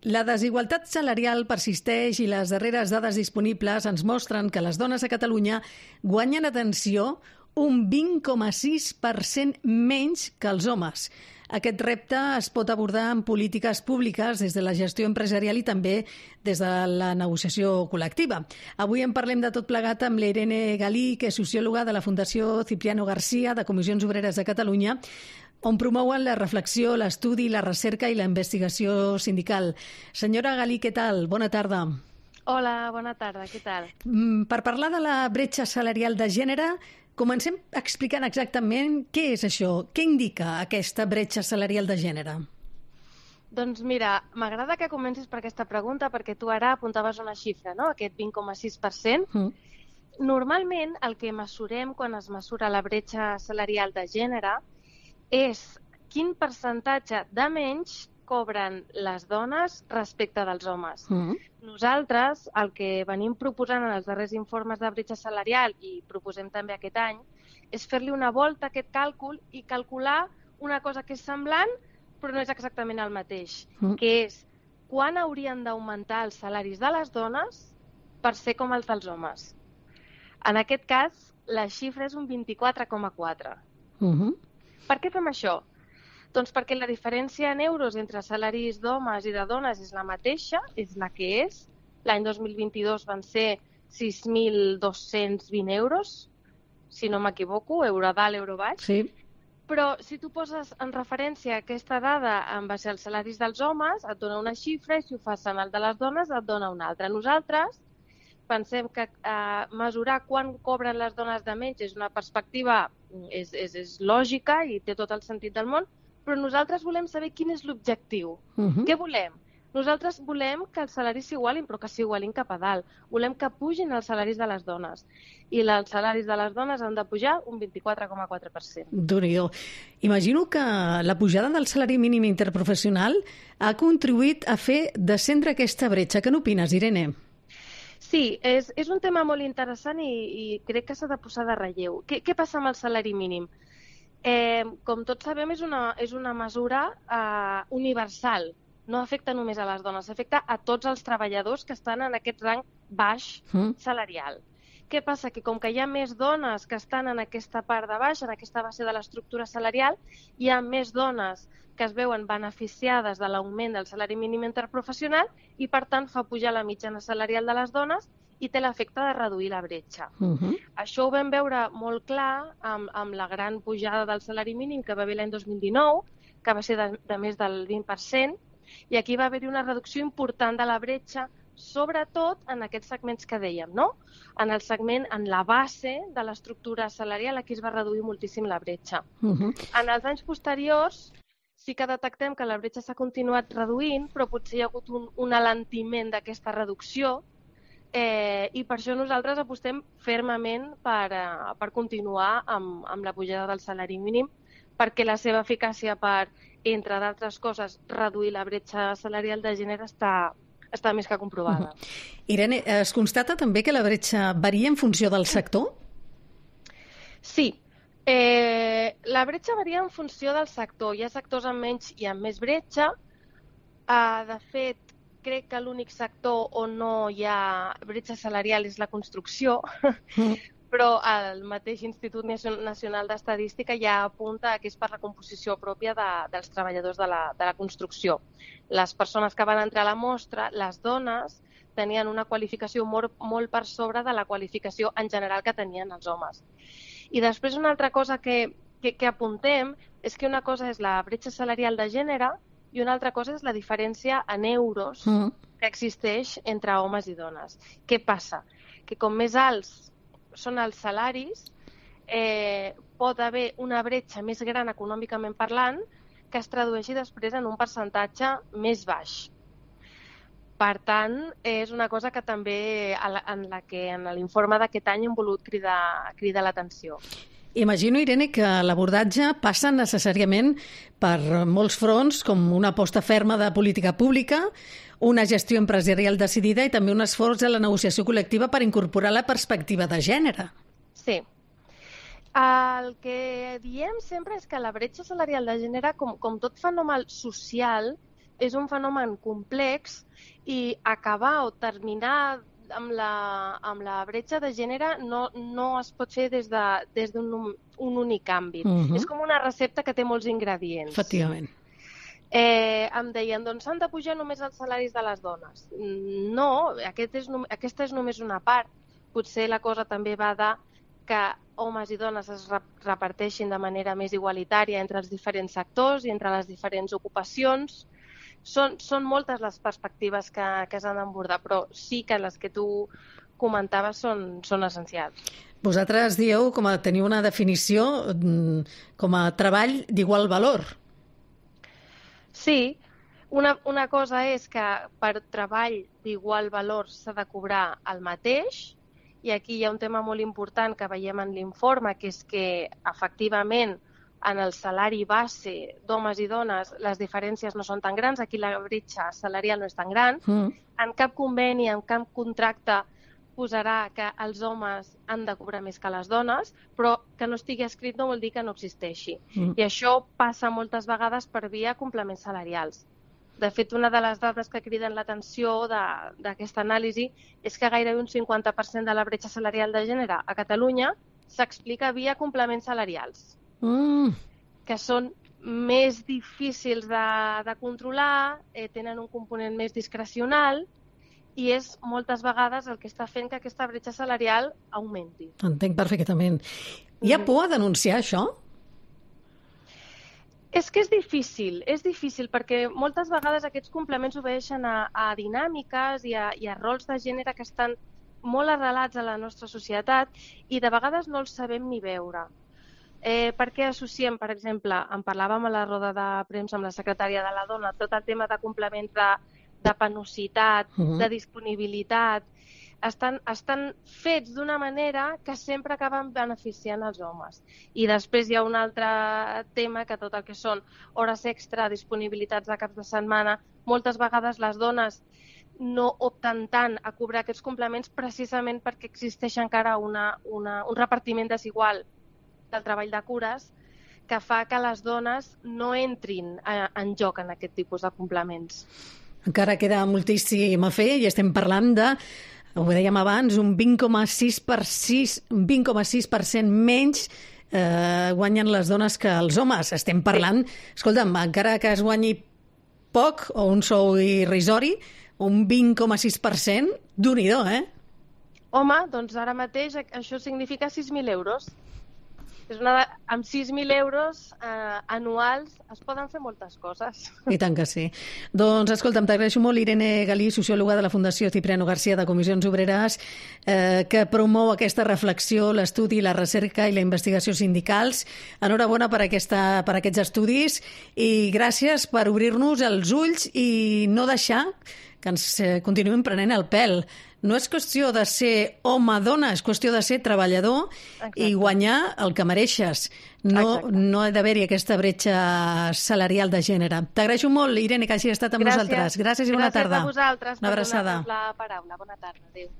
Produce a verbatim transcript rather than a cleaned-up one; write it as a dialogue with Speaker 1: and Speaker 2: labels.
Speaker 1: La desigualtat salarial persisteix i les darreres dades disponibles ens mostren que les dones a Catalunya guanyen, atenció, un vint coma sis per cent menys que els homes. Aquest repte es pot abordar en polítiques públiques des de la gestió empresarial i també des de la negociació col·lectiva. Avui en parlem de tot plegat amb l'Irene Galí, que és sociòloga de la Fundació Cipriano García de Comissions Obreres de Catalunya, on promouen la reflexió, l'estudi, la recerca i la investigació sindical. Senyora Galí, què tal? Bona tarda.
Speaker 2: Hola, bona tarda, què tal?
Speaker 1: Per parlar de la bretxa salarial de gènere, comencem explicant exactament què és això, què indica aquesta bretxa salarial de gènere.
Speaker 2: Doncs mira, m'agrada que comencis per aquesta pregunta perquè tu ara apuntaves una xifra, no? Aquest vint coma sis per cent. Mm. Normalment el que mesurem quan es mesura la bretxa salarial de gènere és quin percentatge de menys cobren les dones respecte dels homes. Mm. Nosaltres el que venim proposant en els darrers informes de bretxa salarial i proposem també aquest any és fer-li una volta a aquest càlcul i calcular una cosa que és semblant però no és exactament el mateix, mm. que és quan haurien d'augmentar els salaris de les dones per ser com els dels homes. En aquest cas, la xifra és un vint-i-quatre coma quatre. Mm-hmm. Per què fem això? Doncs perquè la diferència en euros entre salaris d'homes i de dones és la mateixa, és la que és. L'any dos mil vint-i-dos van ser sis mil dos-cents vint euros, si no m'equivoco, euro dalt, euro baix.
Speaker 1: Sí.
Speaker 2: Però si tu poses en referència aquesta dada en base als salaris dels homes, et dona una xifra i si ho fas en el de les dones et dona una altra. Nosaltres pensem que eh, mesurar quan cobren les dones de menys és una perspectiva, és, és, és lògica i té tot el sentit del món, però nosaltres volem saber quin és l'objectiu. Uh-huh. Què volem? Nosaltres volem que els salaris s'igualin, però que s'igualin cap a dalt. Volem que pugin els salaris de les dones. I els salaris de les dones han de pujar un vint-i-quatre coma quatre per cent.
Speaker 1: Déu-n'hi-do. Imagino que la pujada del salari mínim interprofessional ha contribuït a fer descendre aquesta bretxa. Què n'opines, Irene?
Speaker 2: Sí, és, és un tema molt interessant i, i crec que s'ha de posar de relleu. Què, què passa amb el salari mínim? Eh, com tots sabem, és una, és una mesura eh, universal. No afecta només a les dones, afecta a tots els treballadors que estan en aquest rang baix salarial. Mm. Què passa? Que com que hi ha més dones que estan en aquesta part de baix, en aquesta base de l'estructura salarial, hi ha més dones que es veuen beneficiades de l'augment del salari mínim interprofessional i, per tant, fa pujar la mitjana salarial de les dones i té l'efecte de reduir la bretxa. Uh-huh. Això ho vam veure molt clar amb, amb la gran pujada del salari mínim que va haver l'any dos mil dinou, que va ser de, de més del vint per cent, i aquí va haver-hi una reducció important de la bretxa, sobretot en aquests segments que dèiem, no? En el segment, en la base de l'estructura salarial, aquí es va reduir moltíssim la bretxa. Uh-huh. En els anys posteriors sí que detectem que la bretxa s'ha continuat reduint, però potser hi ha hagut un, un alentiment d'aquesta reducció, Eh, i per això nosaltres apostem fermament per, uh, per continuar amb, amb la pujada del salari mínim, perquè la seva eficàcia per, entre d'altres coses, reduir la bretxa salarial de gènere està, està més que comprovada.
Speaker 1: Uh-huh. Irene, es constata també que la bretxa varia en funció del sector?
Speaker 2: Sí. Eh, la bretxa varia en funció del sector. Hi ha sectors amb menys i amb més bretxa. Uh, de fet, crec que l'únic sector on no hi ha bretxa salarial és la construcció, mm. però el mateix Institut Nacional d'Estadística ja apunta que és per la composició pròpia de, dels treballadors de la, de la construcció. Les persones que van entrar a la mostra, les dones, tenien una qualificació molt, molt per sobre de la qualificació en general que tenien els homes. I després una altra cosa que, que, que apuntem és que una cosa és la bretxa salarial de gènere i una altra cosa és la diferència en euros mm. que existeix entre homes i dones. Què passa? Que com més alts són els salaris, eh, pot haver una bretxa més gran econòmicament parlant que es tradueixi després en un percentatge més baix. Per tant, és una cosa que també en la que en l'informe d'aquest any hem volut cridar, cridar l'atenció.
Speaker 1: Imagino, Irene, que l'abordatge passa necessàriament per molts fronts, com una aposta ferma de política pública, una gestió empresarial decidida i també un esforç de la negociació col·lectiva per incorporar la perspectiva de gènere.
Speaker 2: Sí. El que diem sempre és que la bretxa salarial de gènere, com, com tot fenomen social, és un fenomen complex i acabar o terminar amb la, amb la bretxa de gènere no, no es pot fer des d'un de, des un, un únic àmbit. Uh-huh. És com una recepta que té molts ingredients.
Speaker 1: Efectivament.
Speaker 2: Eh, em deien, doncs s'han de pujar només els salaris de les dones. No, aquest és, aquesta és només una part. Potser la cosa també va de que homes i dones es reparteixin de manera més igualitària entre els diferents sectors i entre les diferents ocupacions. Són, són moltes les perspectives que, que s'han d'abordar, però sí que les que tu comentaves són, són essencials.
Speaker 1: Vosaltres dieu, com a teniu una definició, com a treball d'igual valor.
Speaker 2: Sí, una, una cosa és que per treball d'igual valor s'ha de cobrar el mateix, i aquí hi ha un tema molt important que veiem en l'informe, que és que efectivament en el salari base d'homes i dones les diferències no són tan grans, aquí la bretxa salarial no és tan gran, mm. en cap conveni, en cap contracte posarà que els homes han de cobrar més que les dones, però que no estigui escrit no vol dir que no existeixi. Mm. I això passa moltes vegades per via complements salarials. De fet, una de les dades que criden l'atenció d'aquesta anàlisi és que gairebé un cinquanta per cent de la bretxa salarial de gènere a Catalunya s'explica via complements salarials, mm. que són més difícils de, de controlar, eh, tenen un component més discrecional i és moltes vegades el que està fent que aquesta bretxa salarial augmenti.
Speaker 1: Entenc perfectament. Hi ha por a denunciar això?
Speaker 2: És que és difícil, és difícil perquè moltes vegades aquests complements obeixen a, a dinàmiques i a, i a rols de gènere que estan molt arrelats a la nostra societat i de vegades no els sabem ni veure. Eh, per què associem, per exemple, en parlàvem a la roda de premsa amb la secretària de la dona, tot el tema de complements de, de penositat, uh-huh. de disponibilitat, estan, estan fets d'una manera que sempre acaben beneficiant els homes. I després hi ha un altre tema, que tot el que són hores extra, disponibilitats de caps de setmana, moltes vegades les dones no opten tant a cobrar aquests complements precisament perquè existeix encara una, una, un repartiment desigual del treball de cures que fa que les dones no entrin a, en joc en aquest tipus de complements.
Speaker 1: Encara queda moltíssim a fer i estem parlant de, ho dèiem abans, un vint coma sis per cent menys eh, guanyen les dones que els homes. Estem parlant, sí. Escolta'm, encara que es guanyi poc o un sou irrisori, un vint coma sis per cent, Déu-n'hi-do, eh?
Speaker 2: Home, doncs ara mateix això significa sis mil euros. És una de... Amb sis mil euros eh, anuals es poden fer moltes coses.
Speaker 1: I tant que sí. Doncs, escolta'm, t'agraeixo molt, Irene Galí, sociòloga de la Fundació Cipriano García de Comissions Obreres, eh, que promou aquesta reflexió, l'estudi, la recerca i la investigació sindicals. Enhorabona per, aquesta, per aquests estudis i gràcies per obrir-nos els ulls i no deixar que ens continuïm prenent el pèl. No és qüestió de ser home-dona, és qüestió de ser treballador. Exacte. I guanyar el que mereixes. No, no ha d'haver-hi aquesta bretxa salarial de gènere. T'agraeixo molt, Irene, que hagi estat amb
Speaker 2: Gràcies.
Speaker 1: nosaltres. Gràcies i bona
Speaker 2: Gràcies
Speaker 1: tarda.
Speaker 2: Gràcies a vosaltres
Speaker 1: per donar-nos
Speaker 2: la paraula. Bona tarda. Adéu.